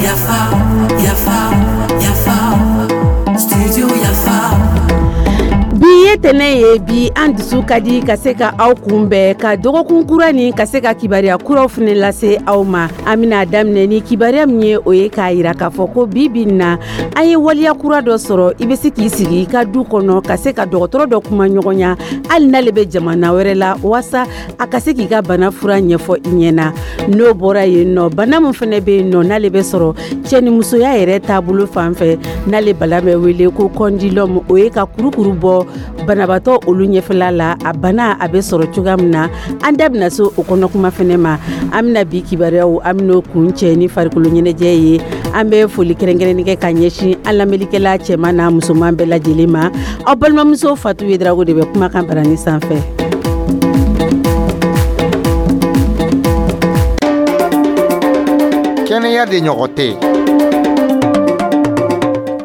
Yafa, yafa, yafa, studio Yafa. Bi ye tɛnɛ ye, bi an dusu ka di ka se ka aw kunbɛn ka dɔgɔkun kura nin, ka se ka kibaruya kuraw fana lase aw ma. An bɛna daminɛ ni kibaruya min ye, o ye k'a yira k'a fɔ ko bi bi na, an ye waleya kura dɔ sɔrɔ. I bɛ se k'i sigi i ka du kɔnɔ ka se ka dɔgɔtɔrɔ dɔ kuma ɲɔgɔnya, hali n'ale bɛ jamana wɛrɛ la, waasa a ka se k'i ka bana fura ɲɛfɔ i ɲɛna. N'o bɔra yen nɔ, bana min fana bɛ yen nɔ, n'ale bɛ sɔrɔ cɛnimusoya yɛrɛ taabolo fan fɛ, n'ale bana bɛ wele ko condylome, o ye ka kurukuru bɔ banabaatɔ olu ɲɛfɛla la. A bana a bɛ sɔrɔ cogoya min na, an da bɛna se o kɔnɔ kuma fɛnɛ ma. An bɛna bi kibaruyaw, an bɛn'o kun cɛ ni farikolo ɲɛnajɛ ye. An bɛ foli kɛrɛnkɛrɛnni kɛ ka ɲɛsin an lamɛnnikɛla cɛman n'a musoman bɛɛ lajɛlen ma. Aw balimamuso Fatu Yedrago de bɛ kumakan barani sanfɛ. Kɛnɛya de ɲɔgɔn tɛ.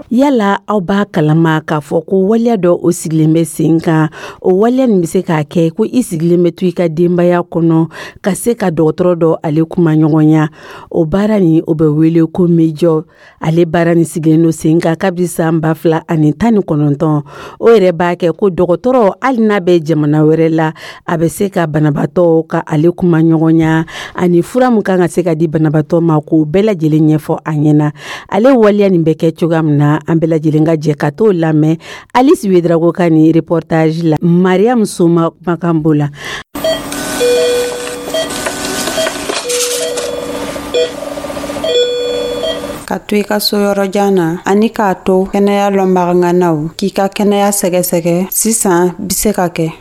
Yala aw b'a kalama k'a fɔ ko waleya dɔ o sigilen bɛ sen kan? O waleya nin bɛ se k'a kɛ ko i sigilen bɛ to i ka denbaya kɔnɔ ka se ka dɔgɔtɔrɔ dɔ ale kuma ɲɔgɔnya. O baara nin, o bɛ wele ko MEDIOC. Ale baara nin sigilen don sen kan kabi san 2019. O yɛrɛ b'a kɛ ko dɔgɔtɔrɔ, hali n'a bɛ jamana wɛrɛ la, a bɛ se ka banabaatɔ ka ale kuma ɲɔgɔnya, ani fura min kan ka se ka di banabaatɔ ma, k'o bɛɛ lajɛlen ɲɛfɔ a ɲɛna. Ale waleya nin bɛ kɛ cogoya min na, an bɛɛ lajɛlen ka jɛ ka t'o lamɛn Alice Wedrago ka nin reportage la, Mariam Soma kumakan b'o la. Ka to i ka so yɔrɔ jan na ani k'a to kɛnɛya lɔnbaganganaw k'i ka kɛnɛya sɛgɛsɛgɛ, sisan bi se ka kɛ.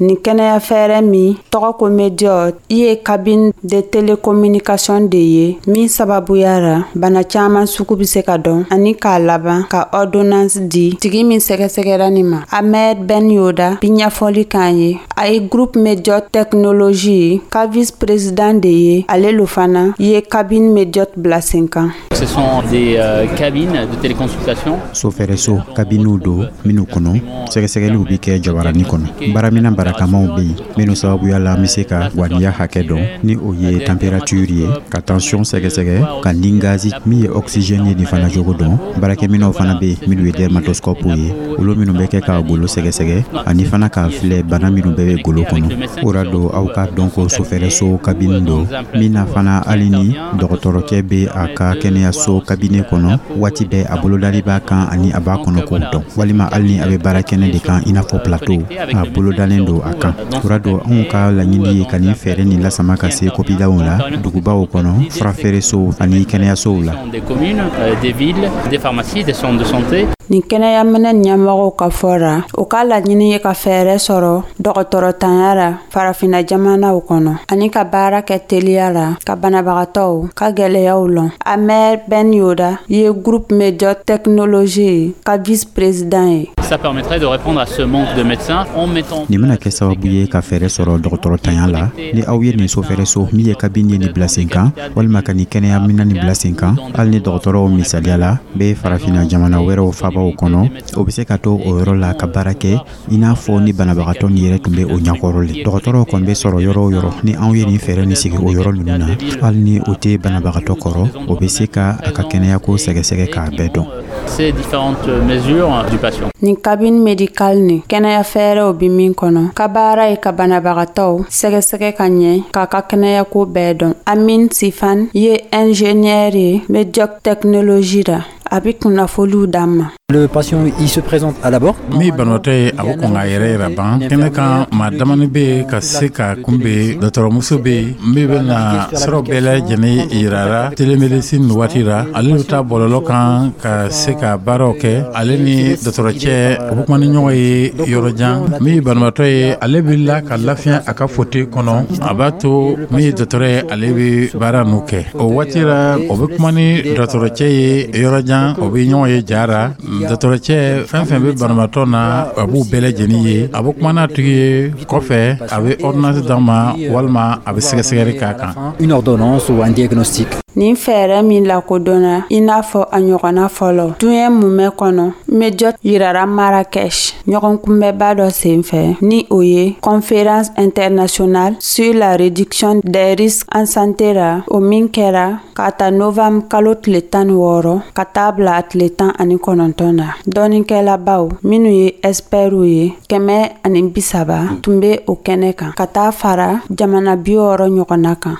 Nin kɛnɛya fɛɛrɛ min tɔgɔ ko MEDIOC i ye cabine de télécommunication de ye min sababuya ra bana caaman sugu be se ka dɔn ani k'a laban ka ordonnance di tigi min sɛgɛsɛgɛra nin ma. Ahmed Ben Yoda bi ɲɛfɔli k'an ye. A ye groupe MEDIOC technologie ka vice président de ye. Ale lo fana ye cabine MEDIOC bila sen kan. Ce sont des cabines de téléconsultation. Sofɛrɛso kabiniw don minnu kɔnɔ sɛgɛsɛgɛliw bɛ kɛ jabarani kɔnɔ. Baaraminɛn barakamaw bɛ yen minnu sababuya la an bɛ se ka waniya hakɛ dɔn, ni o ye température ye, ka tension sɛgɛsɛgɛ, ka ni gazi min ye oxygène ye nin fana jogo dɔn. Baarakɛminɛw fana bɛ yen minnu ye dermatoscope ye, olu minnu bɛ kɛ ka golo sɛgɛsɛgɛ ani fana k'a filɛ bana minnu bɛɛ bɛ golo kɔnɔ. O ra don aw k'a dɔn ko sofɛrɛso kabini don min na fana, hali ni dɔgɔtɔrɔkɛ bɛ a ka kɛnɛyaso kabine kɔnɔ, waati bɛɛ a bolodali b'a kan ani a b'a kɔnɔ k'o dɔn, walima hali ni a bɛ baara kɛnɛ de kan i n'a fɔ plateau, a bolodalen don a kan. O ra don anw ka laɲini ye ka nin fɛɛrɛ nin lasama ka se kopidaw la, dugubaw kɔnɔ, furafeeresow ani kɛnɛyasow la. Des communes, des villes, des pharmacies, des centres de santé. Nin kɛnɛyaminɛ ɲɛmɔgɔw ka fɔ ra, o ka laɲini ye ka fɛɛrɛ sɔrɔ dɔgɔtɔrɔtanya ra farafinna jamanaw kɔnɔ ani ka baara kɛ teliya la ka banabagatɔw ka gwɛlɛyaw lɔn. Ahmed Ben Yoda ye groupe MEDIOC technologie ka vice-président ye. Ça permettrait de répondre à ce manque de médecins en mettant Nin bɛna kɛ sababu ye ka fɛɛrɛ sɔrɔ dɔgɔtɔrɔtanya la. Ni aw ye nin sofɛrɛso min ye kabini ye nin bila sen kan, walima ka nin kɛnɛya minɛn nin bila sen kan, hali ni dɔgɔtɔrɔw misaliya la bɛ farafinna jamana wɛrɛw fabaw kɔnɔ, o bɛ se ka to o yɔrɔ la ka baara kɛ i n'a fɔ ni banabagatɔ nin yɛrɛ tun bɛ o ɲɛkɔrɔ le. Dɔgɔtɔrɔw kɔni bɛ sɔrɔ yɔrɔ o yɔrɔ, ni anw ye nin fɛɛrɛ nin sigi o yɔrɔ ninnu na, hali ni o tɛ banabagatɔ kɔrɔ, o bɛ se ka a ka kɛnɛyako sɛgɛsɛgɛ k'a bɛɛ dɔn. Ces différentes mesures du patient. Nin cabine médicale ni kɛnɛya fɛɛrɛw bi min kɔnɔ ka baara ye ka banabagatɔw sɛgɛsɛgɛ ka ɲɛ k'a ka kɛnɛyako bɛɛ dɔn. Amin Sifan ye ingénieur ye MEDIOC technologie ra. A bɛ kunnafoniw d'an ma. Le patient, il se présente à l'abord. Min banabaatɔ ye, a bɛ kɔn k'a yɛrɛ yira ban kɛnɛ kan. Maa damani bɛ yen ka se ka kunbɛn. Dɔgɔtɔrɔmuso bɛ yen min bɛna sɔrɔ bɛɛ lajɛlen yirara télémédecine nin waati la. Ale bɛ taa bɔlɔlɔ kan ka se ka baaraw kɛ. Ale ni dɔgɔtɔrɔcɛ, u bɛ kuma ni ɲɔgɔn ye yɔrɔ jan. Min ye banabaatɔ ye, ale bɛ la ka lafiya a ka fauteuil kɔnɔ. A b'a to min ye dɔgɔtɔrɔ ye, ale bɛ baara ninnu kɛ o waati la. O bɛ kuma ni dɔgɔtɔrɔcɛ ye yɔrɔ jan, o bɛ ɲɔgɔn ye jara. Dɔgɔtɔrɔcɛ, fɛn fɛn bɛ banabaatɔ na, a b'u bɛɛ lajɛlen ye. A bɛ kuma n'a tigi ye kɔfɛ, a bɛ ordonnance d'a ma walima a bɛ sɛgɛsɛgɛli k'a kan. Une ordonnance ou un diagnostic. Nin fɛɛrɛ min lakodɔnna i n'a fɔ a ɲɔgɔnna fɔlɔ diɲɛ mumɛ kɔnɔ, MEDIOT yirara Marrakech ɲɔgɔnkunbɛnba dɔ senfɛ, ni o ye Conférence internationale sur la réduction des risques en santé ra, o min kɛra k'a ta novembre kalo tile 16 ka taa bila a tile 19 na. Dɔnnikɛlabaw minnu ye expertw ye 130 tun bɛ o kɛnɛ kan, ka taa fara jamana 60 ɲɔgɔnna kan.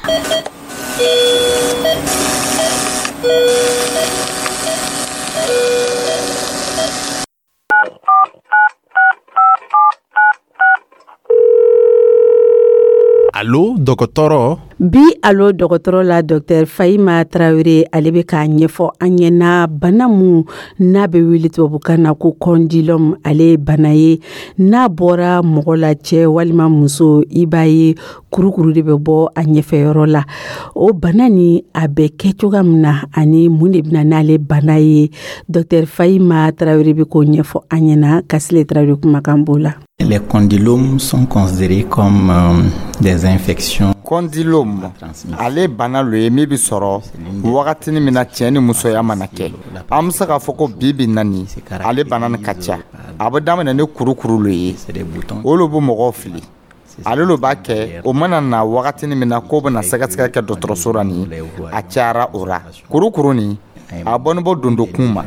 Allo dɔgɔtɔrɔ. Bi Allo dɔgɔtɔrɔ la, Dr Fahima Tarawele, ale bɛ k'a ɲɛfɔ an ɲɛna bana mun n'a bɛ wele tubabukan na ko condylome. Ale ye bana ye n'a bɔra mɔgɔ la, cɛ walima muso, i b'a ye kurukuru de bɛ bɔ a ɲɛfɛyɔrɔ la. O bana ni a bɛ kɛ cogoya min na ani mun de bɛna n'ale bana ye, Dr Fahima Tarawele bɛ k'o ɲɛfɔ an ɲɛna. Kasile Tarawele kumakan b'o la. Les condylomes sont considérés comme des infections. Condylome, ale bana lo ye min bɛ sɔrɔ wagatinin min na cɛ ni musoya mana kɛ. An bɛ se k'a fɔ ko bi bi na nin, ale bana nin ka ca. A bɛ daminɛ ni kurukuru lo ye, o lo bɛ mɔgɔw fili. Ale lo b'a kɛ o mana na wagatinin min na k'o bɛna sɛgɛsɛgɛ kɛ dɔgɔtɔrɔso la nin, a cayara o ra. Kurukuru nin, a bɔni bɔ dondokun ma,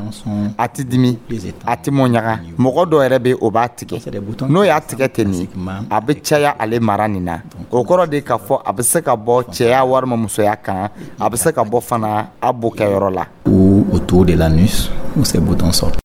a tɛ dimi, a tɛ mɔɲaga. Mɔgɔ dɔ yɛrɛ bɛ o b'a tigɛ, n'o y'a tigɛ ten nin, a bɛ caya ale mara nin na. O kɔrɔ de k'a fɔ a bɛ se ka bɔ cɛya walima musoya kan, a bɛ se ka bɔ fana a bo kɛyɔrɔ la. Ou autour de l'anus où ces boutons sortent.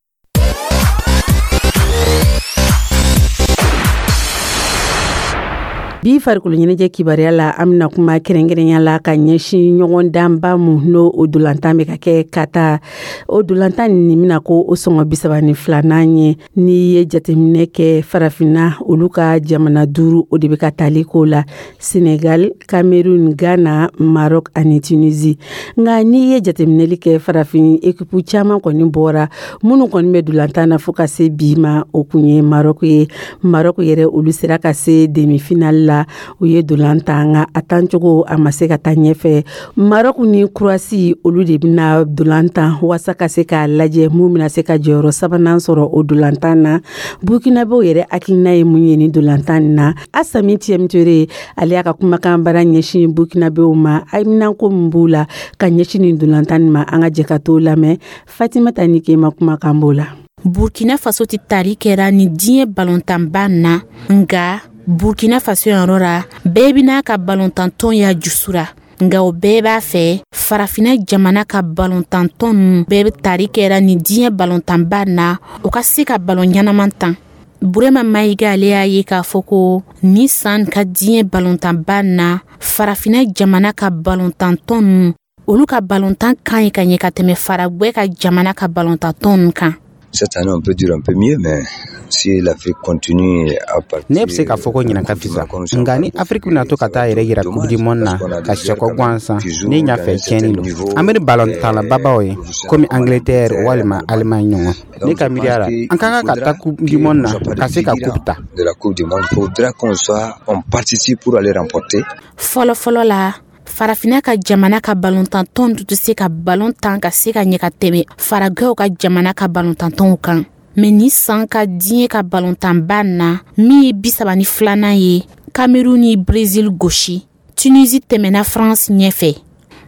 Bi farikolo ɲɛnajɛ kibaruya la, an bɛna kuma kɛrɛnkɛrɛnya la ka ɲɛsin ɲɔgɔndanba mun n'o o dolantan bɛ ka kɛ Qatar. O dolantan nin bɛna ko o sɔngɔ 32nan ye. N'i ye jateminɛ kɛ farafinna, olu ka jamana duuru o de bɛ ka tali ko la: Senegal, Cameroun, Ghana, Maroc ani Tunisie. Nka n'i ye jateminɛli kɛ, farafin ekipu caman kɔni bɔra. Minnu kɔni bɛ dolantan na fo ka se bi ma, o kun ye Maroc ye. Maroc yɛrɛ, olu sera ka se demi-finale la. U ye dolan tan, nka a tancogo a ma se ka taa ɲɛfɛ. Maroc ni Croatie, olu de bɛna dolan tan walasa ka se k'a lajɛ mun bɛna se ka jɔyɔrɔ sabanan sɔrɔ o dolan tan na. Burkinabɛw yɛrɛ hakilina ye mun ye ni dolan tan na? Asami Tiɛmture, ale y'a ka kumakan bara ɲɛsin Burkinabɛw ma, haminanko min b'u la ka ɲɛsin nin dolan tan ma. An ka jɛ ka t'o lamɛn. Fatimata Nikema kumakan b'o la. Burkina Faso tɛ tari kɛra ni diɲɛ balontanba na, nka Burkina Faso yɔrɔ la, bɛɛ bɛna ka balontantɔn ya jusura, nka o bɛɛ b'a fɛ farafinna jamana ka balontantɔn ninnu bɛɛ bɛ tari kɛra ni diɲɛ balontanba na, o ka se ka balon ɲɛnaman tan. Burema Mayiga, ale y'a ye k'a fɔ ko ni san ka diɲɛ balontanba na, farafinna jamana ka balontantɔn ninnu, olu ka balontan kan ɲi ka ɲɛ ka tɛmɛ faragwɛ ka jamana ka balontantɔn ninnu kan. Cette année, on peut dire un peu mieux, mais si l'Afrique continue à partir. Ne bɛ se k'a fɔ ko ɲinan ka fisa, nka ni Afiriki bɛna to ka taa yɛrɛ yira Coupe du monde na ka sɛkɔ gansan, ne ɲa fɛ tiɲɛni lo. An bɛ ni balontanlababaw ye komi Angleterre walima Allemagne ɲɔgɔn. Ne ka miiriya la, an ka kan ka taa Coupe du monde na ka se ka coupe ta. De la Coupe du monde, il faudra qu'on soit, on participe pour aller remporter. Fɔlɔ fɔlɔ la, farafinna ka jamana ka balontantɔn tun tɛ se ka balon tan ka se ka ɲɛ ka tɛmɛ faragɛw ka jamana ka balontantɔnw kan. Mɛ ni san ka diɲɛ ka balontanba na min ye 32nan ye, Cameroun ni Brésil gosi, Tunisie tɛmɛna France ɲɛfɛ,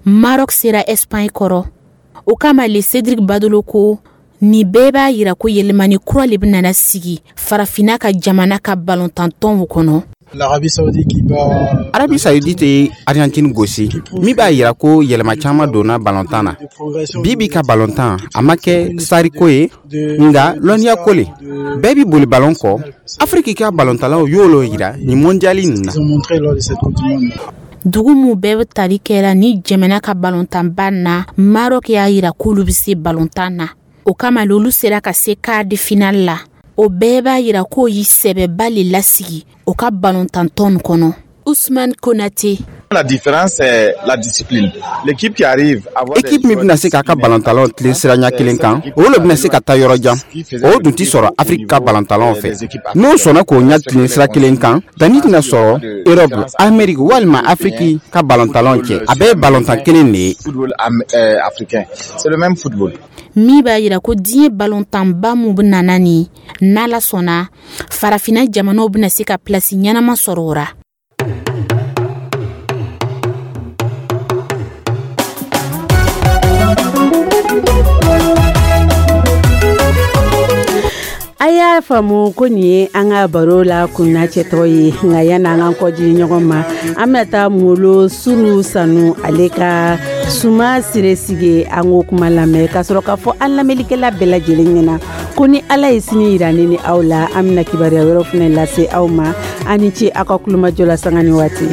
Maroc sera Espagne kɔrɔ. O kama le, Cédric Badolo ko nin bɛɛ b'a yira ko yɛlɛmani kura le bɛna sigi farafinna ka jamana ka balontantɔnw kɔnɔ. Arabie Saoudite ye Argentine gosi, min b'a yira ko yɛlɛma caman donna balontan na. Bi bi ka balontan, a ma kɛ sariko ye, nka lɔnniya ko le. Bɛɛ bi boli balon kɔ. Afiriki ka balontalaw y'o yira nin mondiali nin na. Dugu mun bɛɛ bɛ tali kɛra ni jamana ka balontanba na, Maroc y'a yira k'olu bɛ se balontan na. O kama olu sera ka se quart de finale la. O bɛɛ b'a yira k'o y'i sɛbɛba le lasigi o ka balontantɔn kɔnɔ. Usman Konate. La différence, c'est la discipline. L'équipe qui arrive à avoir Équipe min bɛna se k'a ka balontanlaw tilen sira ɲɛ kelen kan, o le bɛna se ka taa yɔrɔ jan. O dun ti sɔrɔ Afiriki ka balontanlaw fɛ. N'o sɔnna k'o ɲɛ tilen sira kelen kan, danni tɛna sɔrɔ Europe, Amérique walima Afiriki ka balontanlaw cɛ. A bɛɛ ye balontan kelen de ye. Football africain. C'est le même football. Min b'a yira ko diɲɛ balontanba mun bɛna na nin, n'Ala sɔnna, farafinna jamanaw bɛna se ka pilasi ɲɛnama sɔrɔ o ra. A y'a faamu ko nin ye an ka baro la kunnacɛtɔ ye. Nka yanni an k'an kɔdi ɲɔgɔn ma, an bɛna taa Molo Suru Sanu, ale ka Suma Siresige, an k'o kuma lamɛn ka sɔrɔ k'a fɔ an lamɛnnikɛla bɛɛ lajɛlen ɲɛna ko ni Ala ye sini yira ne ni aw la, an bɛna kibaruya wɛrɛw fana lase aw ma. An ni ce aw ka kulomajɔ la sanga ni waati.